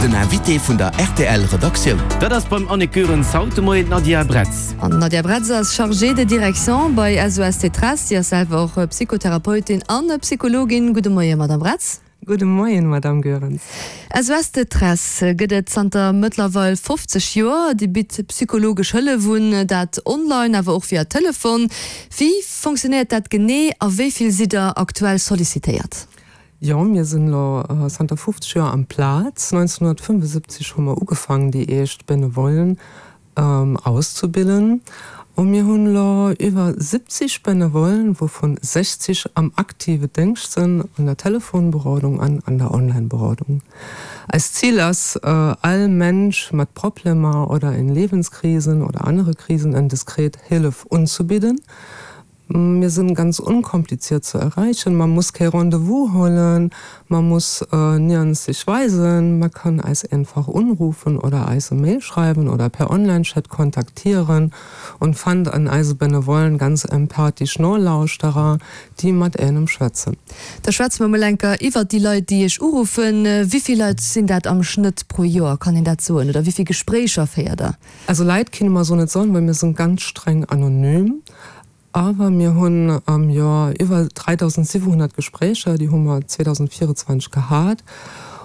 Den Invité vun der rtl Redaktioun. Dat ass beim Annick Goerens haut de Moien d'Nadia Bretz. An d'Nadia Bretz ass Chargée de direction bei SOS Détresse. Si ass selwer och Psychotherapeutin an Psychologin. Gudde Moien, Madame Bretz. Gudde Moien, Madame Goerens. SOS Détresse gëtt et zanter mëttlerweil 50 Joer. Dir bitt psychologesch Hëllef un, dat online, awer och via Telefon. Wéi fonctionnéiert dat genee a wéi vill sidd der aktuell sollicitéiert? Jo, mir sinn elo zanter 50 Joer am Plaz. 1975 hu mer ugefaangen, déi éischt Benevollen auszebilden. A mir hunn elo iwwer 70 Benevollen, wouvun 60 am aktive Déngscht sinn, an der Telefonberodung an an der Online-Berodung. Eist Zil ass, all Mensch mat Problemer oder in Lebenskrisen oder anere Krisen en diskret Hëllef unzebidden. Mir sinn ganz unkompliziert ze erreichen, man muss kee Rendez-vous hollen, man muss nirgends sech weisen, man kann eis einfach unrufen oder eis e Mail schreiwen oder per Online-Chat kontaktieren und fannt an eise Benevollen ganz empathisch Nolauschterer, déi mat äänem schwätzen. Da schwätze mer mol enker iwwert déi Leit, déi Iech uruffen. Wivill Leit sinn dat am Schnëtt pro Joer, kann een dat soen? Oder wivill Gespréicher féiert der? Also Leit kinne mer sou net soen, well mir sinn ganz streng anonym. Awer mir hunn am Joer iwwer 3.700 Gespréicher, déi hu mer 2024 gehat.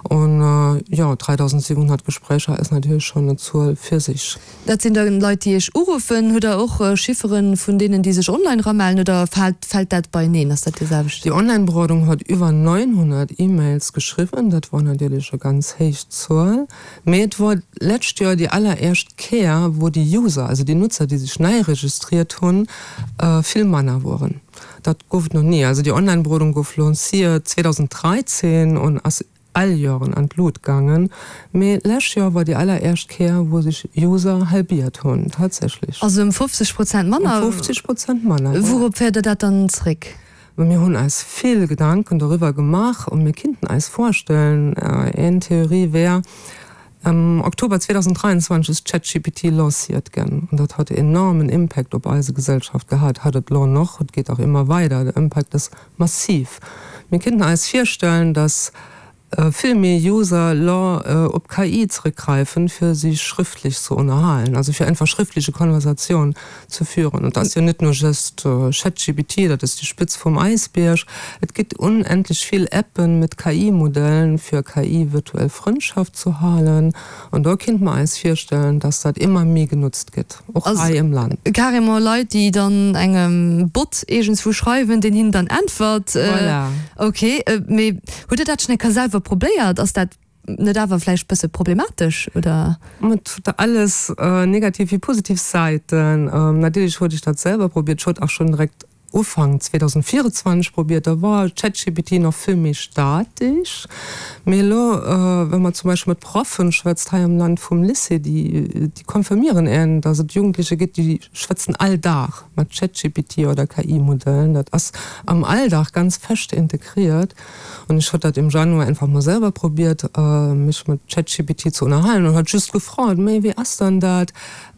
An jo, 3.700 Gespréicher ass natierlech schonn e Zuel fir sech. Dat sinn da Leit, déi Iech uruffen. Hutt Der och Chiffere vun deenen, déi sech online eramellen, oder fält fält dat beieneen? Ass dat dee selwechten? Déi Online-Berodung huet iwwer 900 E-Mails geschriwwen. Dat wor natierlech e ganz héich Zuel. Mee et wor d'lescht Joer déi alleréischt Kéier, wou déi User, also déi Nutzer, déi sech nei registriert hunn, vill manner woren. Dat gouf et nach ni. Also déi Online-Berodung gouf lanciert 2013 an ass all Joren an d'Lut gaangen. Mee d'lescht Joer wor déi alleréischt Kéier, wou sech User halbiert hunn, tatsächlech. Also ëm 50 Prozent manner? Ëm 50 Prozent manner, voilà. Wourop féiert Der dat dann zréck? Mir hunn eis vill Gedanken doriwwer gemaach a mir kinnten eis vorstellen, een Theorie wär, Am Oktober 2023 ass ChatGPT lanciert ginn an dat hat enormen Impact op eise Gesellschaft gehat, hat et lo noch, et geet och ëmmer weider, de Impact ass massiv. Mir kinnten eis virstellen, dass vill méi User lo op KI zrëckgräifen, fir sich schrëftlech ze ënnerhalen, also fir einfach schrëftleche Konversatioun ze führen. Et ass jo net nur just ChatGPT, dat ass déi Spëtz vum Äisbierg. Et gëtt unendlech vill Appen mit KI-Modellen, fir KI-virtuell Frëndschaft zu halen. An do kinnt mer eis virstellen, dass dat ëmmer méi genutzt gëtt, och hei im Land. Carrément Leit, déi dann engem Bot iergendswou schreiwen, deen hinnen dann äntwert. Voilà. Ok, mee Hutt Der dat schonn eng Kéier selwer probéiert? Ass dat net awer vläicht bësse problematesch, oder? Et huet alles negativ wéi positiv Säiten. Natierlech huet ech dat selwer probiert. Ech huet och schonn direkt Ufank 2024 probiert. Da war ChatGPT nach vill méi statesch. Mee elo, wa mer zum Beispill mat Proffen schwätzt hei am Land vum Lycée, déi confirmieren een, datt et Jugendlecher gëtt, déi schwätzen all Dag mat ChatGPT oder KI-Modellen. Dat ass am Alldag ganz fest integriert. An ech hott dat im Januar einfach mol selwer probiert, mech mat ChatGPT ze ënnerhalen an hat just gefrot, Méi wéi ass dann dat,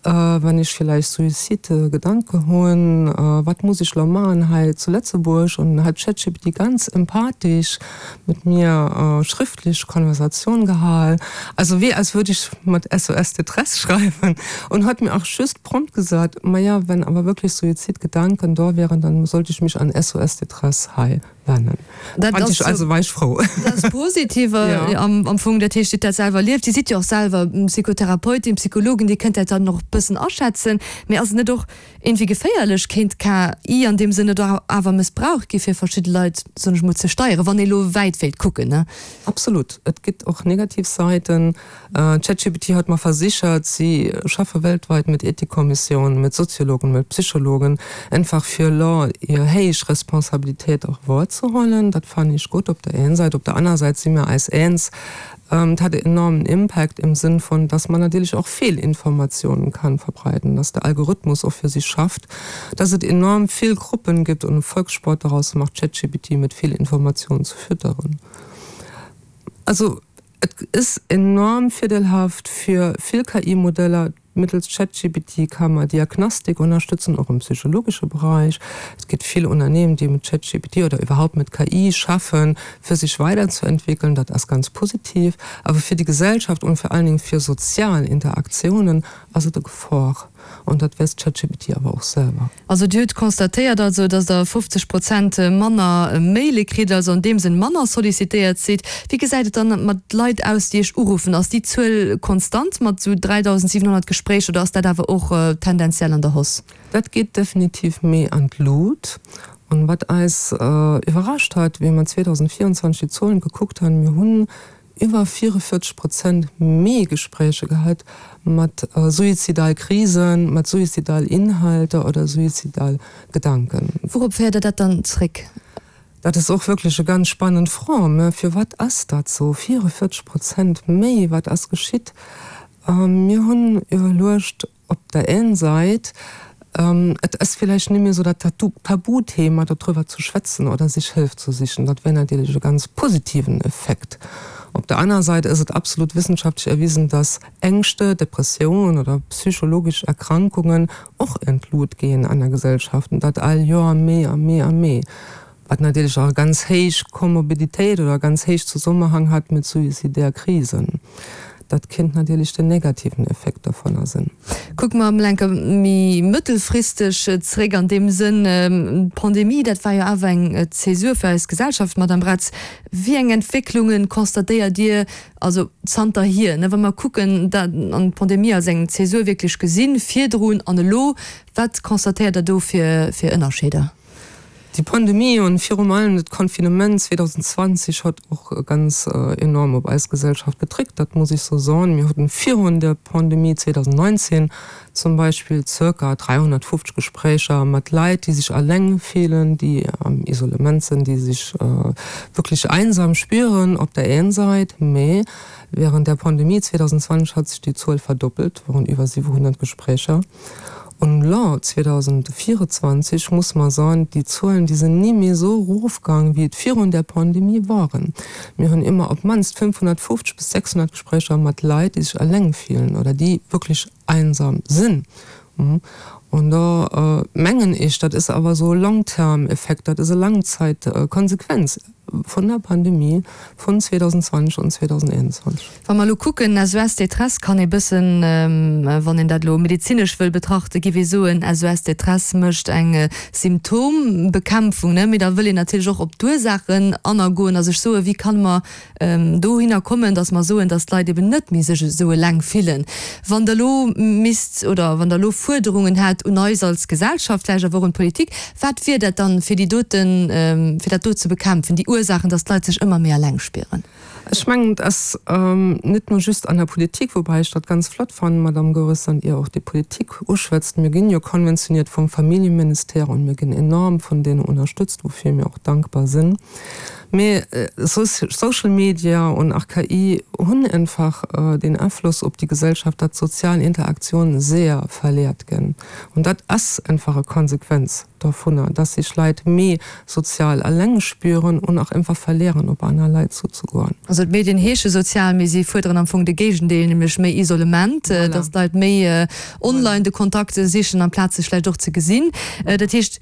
wann ech villäicht Suicide-Gedanke hunn, wat muss ech lo maachen hei zu Lëtzebuerg? An hat ChatGPT ganz empathisch mat mir schrëftlech Konversatioun gehal, also wéi als würd ech mat SOS Détresse schreiwen an hat mir och just prompt gesat, Maja, wenn awer wirklich Suizidgedanken do wären, dann sollte ich mich an SOS Détresse hei wennen. Dat ass jo, also war ech frou. Dat ass positiv am Fong. Dat heescht, Dir hutt dat selwer erlieft. Dir sidd jo och selwer Psychotherapeutin, Psychologin, Dir kënnt dat dann och e bëssen aschätzen. Mee ass et net och iergendwéi geféierlech? Kéint d'KI an deem Sënn net och awer mëssbraucht gi fir verschidde Leit, soen ech mol, ze steieren, wann ee lo wäit wéilt kucken, ne? Absolut. Et gëtt och negativ Säiten. ChatGPT hat mer versichert, si schaffe weltweit mit Ethikkommissionen, mit Soziologen, mit Psychologen, einfach fir elo hir héich Responsabilitéit och wohrzehuelen. Dat fannen ech gutt op der een Säit. Op der aner Säit si mir eis eens, et hat e enormen Impact im Sënn von, dass man natierlech och Fehlinformationen kann verbreiten, dass de Algorithmus och fir si schafft, dass et enorm vill Gruppen gibt und e Volkssport daraus macht, ChatGPT mit Fehlinformationen zu fütteren. Also Et is enorm virdeelhaft fir vill KI-Modeller. Mittels ChatGPT ka mer Diagnostik ënnerstëtzen, och am psychologesche Bereich. Et gëtt vill Unternehmen, déi mit ChatGPT oder iwwerhaupt mit KI schaffen, fir sech weiderzuentwickeln. Dat ass ganz positiv. Awer fir déi Gesellschaft und vor allen Dingen fir sozial Interaktionen ass et e Gefor. An dat weess ChatGPT awer och selwer. Also Dir hutt constatéiert also, datt Der 50 Prozent manner Maile kritt, also an deem Sënn manner sollicitéiert sidd. Wéi gesäit et dann mat Leit aus, déi Iech uruffen? Ass déi Zuel konstant mat esou 3.700 Gespréicher oder ass dat awer och tendenziell an der Hausse? Dat geet definitiv méi an d'Lut. An wat eis iwwerrascht hat, wéi mer 2024 déi Zuelen gekuckt hunn, mir hunn iwwer 44 Prozent méi Gespréicher gehat mat suizidal Krisen, mat suizidal Inhalter oder suizidal Gedanken. Wourop féiert Der dat dann zréck? Dat ass och wierklech e ganz spannend Fro. Mä firwat ass dat sou? 44 Prozent méi, wat ass geschitt? Mir hunn iwwerluecht, Op der een Sait, et ass villäicht net méi esou dat Tabuthema dodriwwer ze schwätzen oder sech Hëlf ze sichen. Dat wär natierlech e ganz positiven Effekt. Op der aner Sait ass et absolut wissenschaftlech erwisen, dass Ängschte, Depressiounen oder psychologesch Erkrankungen och en d'Lut gehen an der Gesellschaft, an dat all Joer méi a méi a méi. Wat natierlech och e ganz héich Komorbiditéit oder e ganz héich Zesummenhang hat mit suizidär Krisen. Dat kéint natierlech den negativen Effekt dovunner sinn. Kucke mer emol enke méi mëttelfristeg zréck an deem Sënn, d'Pandemie, dat war jo awer eng Zäsur fir eis Gesellschaft, Madame Braz. Wéi eng Entwécklunge constatéiert Dir also zanterhier, wa mer kucken dat an d'Pandemie als eng Zäsur wierklech gesinn, virdrun an elo, wat constatéiert Der do fir Ënnerscheeder? Déi Pandemie an virum allem dat Confinement 2020 hat och ganz enorm op eis Gesellschaft gedréckt, dat muss ech sou soen. Mir haten virun der Pandemie 2019 zum Beispill zirka 350 Gespréicher mat Leit, déi sech alleng fillen, déi am Isolement sinn, déi sech wierklech einsam spieren op der een Sait, mee während der Pandemie 2020 hat sech déi Zuel verdoppelt, waren iwwer 700 Gespréicher. Un elo 2024 muss mer soen, déi Zuelen, déi sinn ni méi esou erofgaang, wéi et virun der Pandemie waren. Mir hunn ëmmer op d'mannst 550 bis 600 Gespréicher mat Leit, déi sech eleng fillen oder déi wierklech einsam sinn. An do mengen ech, dat ass awer esou e Long-term-Effekt, dat ass e Langzeitkonsequenz. Vun der Pandemie vun 2020 an 2021. Wa mer elo kucken, SOS Détresse kann ee bëssen, wann een dat elo medezinesch wëll betrachten, géif ee soen, SOS Détresse mécht eng Symptombekämpfung, ne? Mee da wëll een natierlech och op d'Ursaachen anagoen a sech soen, wéi kann mer dohinner kommen, datt mer soen, datt d'Leit eben net méi sech esou eleng fillen. Wann Der elo misst oder wann Der elo Fuerderungen hätt un eis als Gesellschaft, vläicht awer och un d'Politik, Wat wier dat dann, fir déi doten, fir dat do ze bekämpfen, déi Ursaachen, dass d'Leit sech ëmmer méi eleng spieren? Ech mengen, et ass net nur just an der Politik, woubäi ech dat ganz flott fannen, Madame Goeres, datt Dir och déi Politik uschwätzt. Mir ginn jo konventioniert vum Familljeministère und mir ginn enorm vun deene ënnerstëtzt, woufir mir och dankbar sinn. Mee Social Media und auch KI hunn einfach den Afloss op déi Gesellschaft, datt sozial Interaktion sehr verleert ginn. Und dat ass einfach e Konsequenz dovunner, dass sech Leit méi sozial eleng spüren und och einfach verleeren, op aner Leit zuzegoen. Also d'Medien heesche sozial, mee si fuerderen am Fong de Géigendeel, nämlech méi Isolement, dass d'Leit méi online de Kontakt sichen, amplaz sech vläicht och ze gesinn. Dat heescht,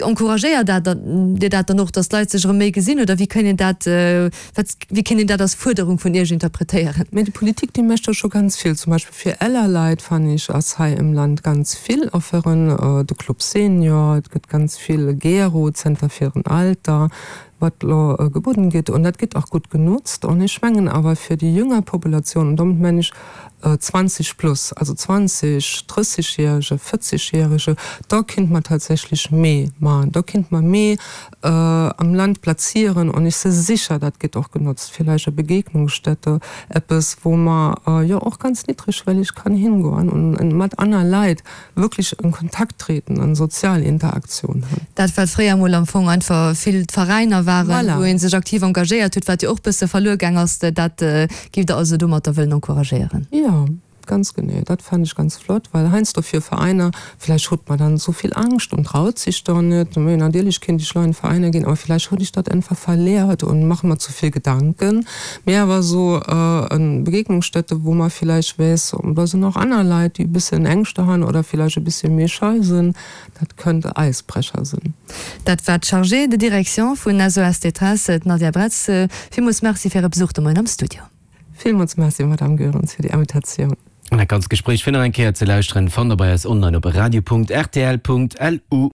Encouragéiert dat Dir dat dann och, datt d'Leit sech erëm méi gesinn, oder wéi kéint een dat, wat, wéi kéint een dat als Fuerderung vun Iech interpretéieren? Mä déi Politik, déi mécht jo scho ganz vill. Zum Beispill fir eeler Leit, fannen ech, ass hei im Land ganz vill Offeren, de Club Senior, et gëtt ganz vill Gero, Zenter fir en Alter, wat elo gebudden gëtt. An dat gëtt och gutt genotzt. An ech mengen awer fir déi jünger Populatioun, an domat mengen ech 20 plus, also 20, 30 Jährege, 40 Jährege, da kinnt mer tatsächlech méi maachen, da kinnt mer méi am Land plazieren an ech si sicher, dat gëtt och genotzt, villäicht e Begegnungsstätte, eppes wou mer jo och ganz niddrigschwellig kann hingoen un mat aner Leit wierklech en Kontakt treten an sozial Interaktion hunn. Dat wat fréier mol am Fong einfach vill d'Veräiner waren, wou ee sech aktiv engagéiert huet, wat jo och bësse verluer gaang ass, dat giff Der also domatter wëllen encouragéieren? Jo. Ganz genee, dat fänd ech ganz flott, well heiansdo fir Veräiner, villäicht hutt mer dann esou vill Angscht und traut sich dann net, mee natierlech kéint ech lo an Veräiner ginn, awer villäicht hutt ech dat einfach verleert und mache mer zu vill Gedanken. Mee awer esou en Begegnungsstätte, wou mer villäicht weess, da sinn och aner Leit, déi e bëssen Ängschte han oder villäicht e bësschen méi schei sinn, dat kënnt e Eisbrecher sinn. Dat war d'Chargée de direction vun SOS Détresse, d'Nadia Bretz. Villmools Merci fir Äre Besuch de Moien am Studio. Villmools Merci, Madame Goerens, fir déi Invitatioun. An dat ganzt Gespréich fir nach eng Kéier ze lauschteren, fannt der bei eis online op radio.rtl.lu.